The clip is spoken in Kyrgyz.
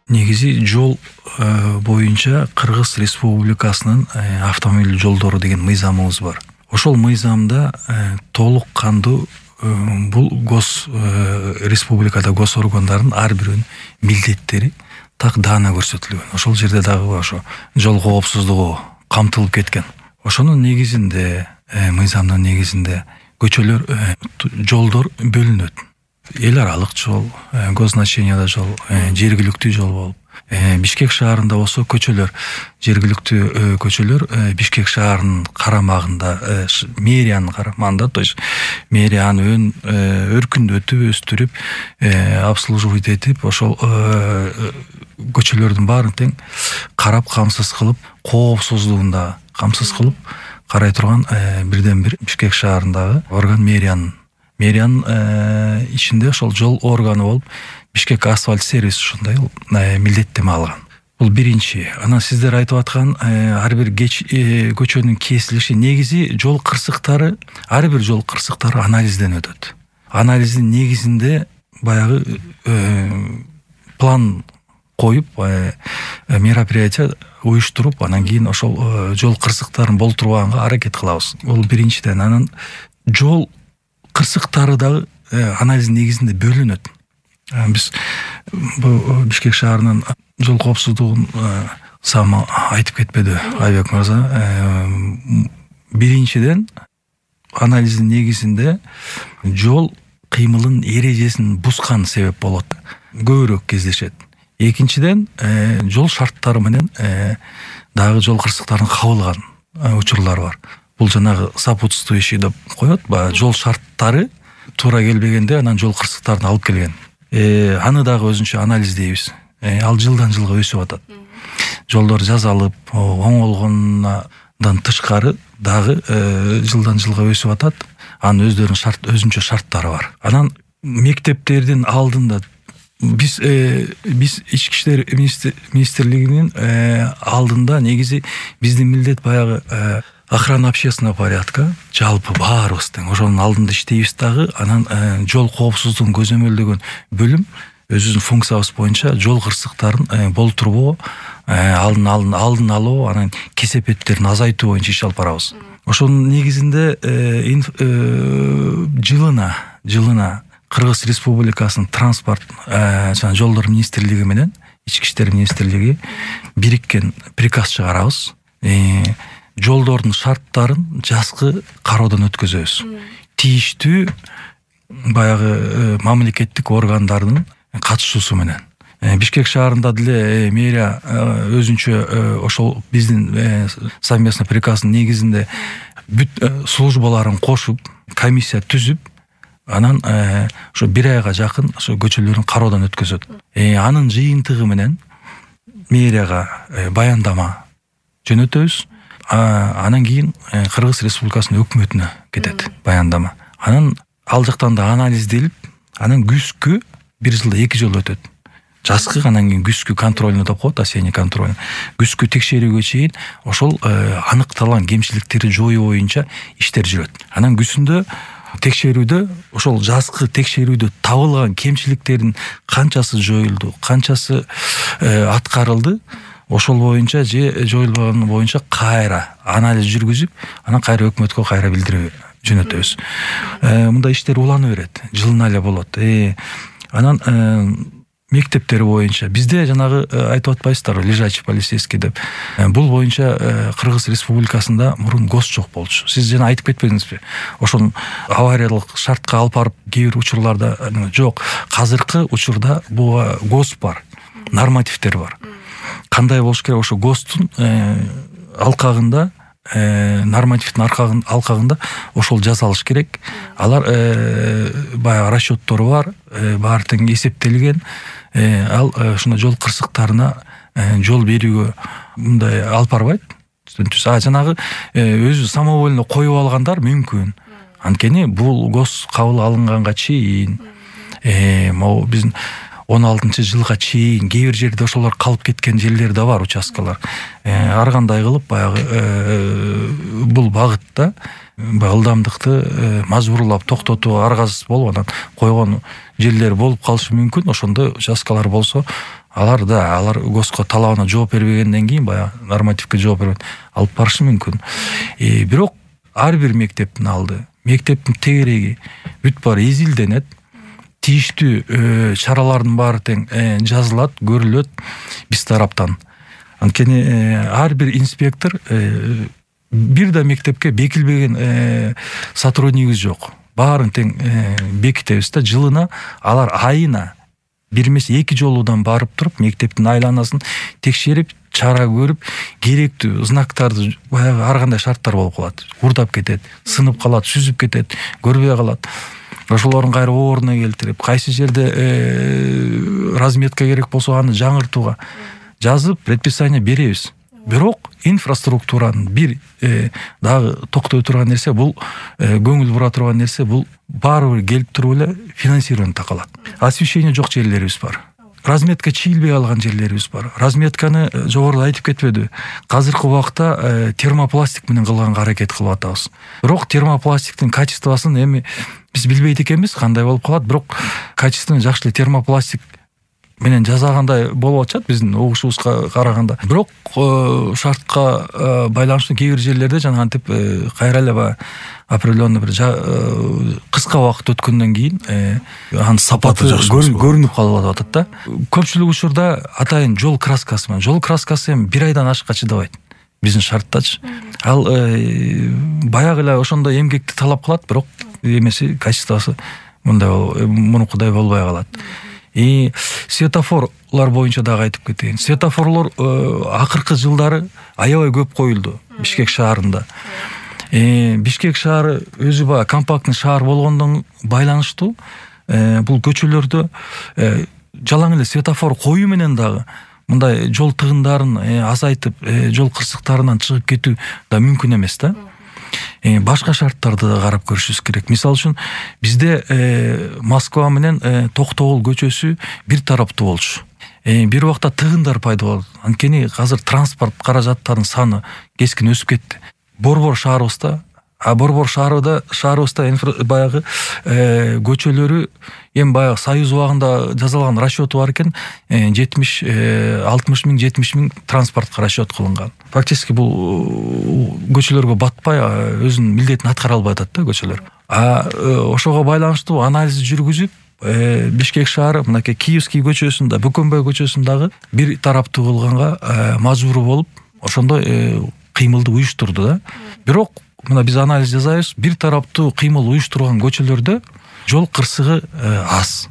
Негизи жол боюнча Кыргыз Республикасынын автомобиль жолдору деген мыйзамыбыз бар. Ошол мыйзамда толук кандуу бул республикада гос органдардын ар биринин милдеттери так даана көрсөтүлгөн. Ошол жерде дагы ошо жол коопсуздугу камтылып кеткен. Ошонун негизинде мыйзамдын негизинде көчөлөр, жолдор бөлүнөт. Эл аралык жол, госзначениялы жол, жергиликтүү жол болуп, Бишкек шаарында болсо көчөлөр, жергиликтүү көчөлөр Бишкек шаарынын карамагында, мэриянын карамагында, то есть мэрияны өркүндөтүп, өстүрүп, обслуживать этип, ошол көчөлөрдүн баарын тең карап, камсыз кылып, коопсуздугун да камсыз кылып карай турган бирден бир Бишкек шаарындагы орган мэриянын ичинде ошол жол органы болуп Бишкек асфальт сервис ушундай милдеттеме алган. Бул биринчи. Анан сиздер айтып аткан ар бир көчөнүн кесилиши, негизи жол кырсыктары, ар бир жол кырсыктары анализден өтөт. Анализдин негизинде баягы план коюп, мероприятие уюштуруп, анан кийин ошол жол кырсыктарын болтурганга аракет кылабыз. Бул биринчиден. Анан жол кырсыктары дагы анализдин негизинде бөлүнөт. Биз Бишкек шаарынын жол коопсуздугун сама айтып кетпеди Айбек мырза. Биринчиден анализдин негизинде жол кыймылынын эрежесин бускан себеп болот, көбүрөөк кездешет. Экинчиден жол шарттары менен дагы жол кырсыктарын кабылган учурлар бар. Бул жанагы сопутствующий деп коет, жол шарттары туура келбегенде анан жол кырсыктарын алып келген. Аны дагы өзүнчө анализдейбиз. Ал жылдан жылга өсүп атат. Жолдор жазалып, оңолгондан тышкары дагы жылдан жылга өсүп атат. Анын өздөрүнүн өзүнчө шарттары бар. Анан мектептердин алдында биз ички иштер министрлигинин алдында негизи биздин милдет баягы охрана общественного порядка, жалпы баарыбыз тең ошонун алдында иштейбиз дагы. Анан жол коопсуздугун көзөмөлдөгөн бөлүм өзүбүздүн функциябыз боюнча жол кырсыктарын болтурбоо, алдын алуу, анан кесепеттерин азайтуу боюнча иш алып барабыз. Ошонун негизинде жылына Кыргыз Республикасынын транспорт жана жолдор министрлиги менен ички иштер министрлиги бириккен приказ чыгарабыз. Жолдордун шарттарын жазгы кароодон өткөзөбүз. Тийиштүү баягы мамлекеттик органдардын катышуусу менен. Бишкек шаарында деле мэрия өзүнчө ошол биздин совместный приказдын негизинде бүт службаларын кошуп, комиссия түзүп, анан ошо бир айга жакын ошо көчөлөрүн кароодон өткөзөт. Анын жыйынтыгы менен мэрияга баяндама жөнөтөбүз. Анан кийин Кыргыз Республикасынын өкмөтүнө кетет баяндама. Анан ал жактан да анализделип, анан күзгү бир жылда 2 жолу өтөт. Жазгы, анан кийин күзгү контрольный деп коет, осенний контрольный. Күзгү текшерүүгө чейин ошол аныкталган кемчиликтерди жоюу боюнча иштер жүрөт. Анан күзүндө текшерүүдө ошол жазгы текшерүүдө табылган кемчиликтердин канчасы жоюлду, канчасы аткарылды, ошол боюнча же жоюлган боюнча кайра анализ жүргүзүп, анан кайра өкмөткө кайра билдирүү жөнөтөбүз. Мындай иштер улана берет, жылына эле болот. Анан мектептер боюнча бизде жанагы айтып атпайсыздарбы, лежачий полицейский деп. Бул боюнча Кыргыз Республикасында мурун ГОС жок болчу. Сиз жана айтып кетпедиңизби? Ошол авариялык шартка алып барып кээ бир учурларда жок. Азыркы учурда бул ГОС бар, нормативдер бар. Кандай болуш керек? Ошо ГОСтун алкагында, нормативдин алкагында ошол жазалыш керек. Алар баягы расчеттору бар, баары тең эсептелген. Ал ушундай жол кырсыктарына жол берүүгө мындай алып барбайт. Жанагы өзү самовольно коюп алгандар мүмкүн. Анткени бул ГОС кабыл алынганга чейин, могу биздин 16-жылга чейин кээ бир жерде ошолор калып кеткен жерлер да бар, участкалар. Ар кандай кылып баягы бул багытта ылдамдыкты мажбурлап токтотууга аргасыз болуп анан койгон жерлер болуп калышы мүмкүн. Ошондой участкалар болсо, алар ГОСко талабына жооп бербегенден кийин баягы нормативке жооп бербей алып барышы мүмкүн. Бирок ар бир мектептин алды, мектептин тегереги бүт баары изилденет, тийиштүү чаралардын баары тең жазылат, көрүлөт биз тараптан. Анткени ар бир инспектор бир да мектепке бекилбеген сотруднигибиз жок. Баарын тең бекитебиз да, жылына алар айына бир эмес 2 жолудан барып туруп мектептин айланасын текшерип, чара көрүп, керектүү знактарды баягы ар кандай шарттар болуп калат. Урдап кетет, сынып калат, сүзүп кетет, көрбөй калат. Ошолорун кайра ордуна келтирип, кайсы жерде разметка керек болсо аны жаңыртууга жазып, предписание беребиз. Бирок инфраструктуранын бир дагы токтой турган нерсе, бул көңүл бура турган нерсе, бул баары бир келип туруп эле финансирование такалат. Освещение жок жерлерибиз бар. Разметка чийилбей калган жерлерибиз бар. Разметканы жогоруда айтып кетпеди. Азыркы убакта термопластик менен кылганга аракет кылып атабыз. Бирок термопластиктин качествосын эми биз билбейт экенбиз, кандай болуп калат. Бирок качествону жакшы термопластик менен жасагандай болуп атышат биздин угушубузга караганда. Бирок шартка байланыштуу кээ бир жерлерде жана антип кайра эле баягы определенный бир кыска убакыт өткөндөн кийин анын сапаты көрүнүп калып атат да. Көпчүлүк учурда атайын жол краскасы менен. Жол краскасы эми 1 айдан ашыкка чыдабайт биздин шарттачы. Ал баягы эле ошондой эмгекти талап кылат, бирок эмеси качествосы мунукудай болбой калат. Светофорлор боюнча дагы айтып кетейин. Светофорлор акыркы жылдары аябай көп коюлду Бишкек шаарында. Бишкек шаары өзү баягы компактный шаар болгондон байланыштуу бул көчөлөрдө жалаң эле светофор коюу менен дагы мындай жол тыгындарын азайтып, жол кырсыктарынан чыгып кетүү да мүмкүн эмес да. Башка шарттарды да карап көрүшүбүз керек. Мисалы үчүн бизде Москва менен Токтогул көчөсү бир тараптуу болчу. Бир убакта тыгындар пайда болду. Анткени азыр транспорт каражаттарынын саны кескин өсүп кетти. Борбор шаарыбызда баягы көчөлөрү эми баягы Союз убагында жасалган расчёту бар экен, 60 миң 70 миң транспортко расчёт кылынган. Фактически бул көчөлөргө батпай өзүнүн милдетин аткара албай атат да көчөлөр. Ошого байланыштуу анализ жүргүзүп, Бишкек шаары мынакей Киевский көчөсүндө, Бөкөнбөй көчөсүндагы бир тараптуу кылганга мажбур болуп, ошондой кыймылды уюштурду да. Бирок мына биз анализ жасайбыз, бир тараптуу кыймыл уюштурган көчөлөрдө жол кырсыгы аз.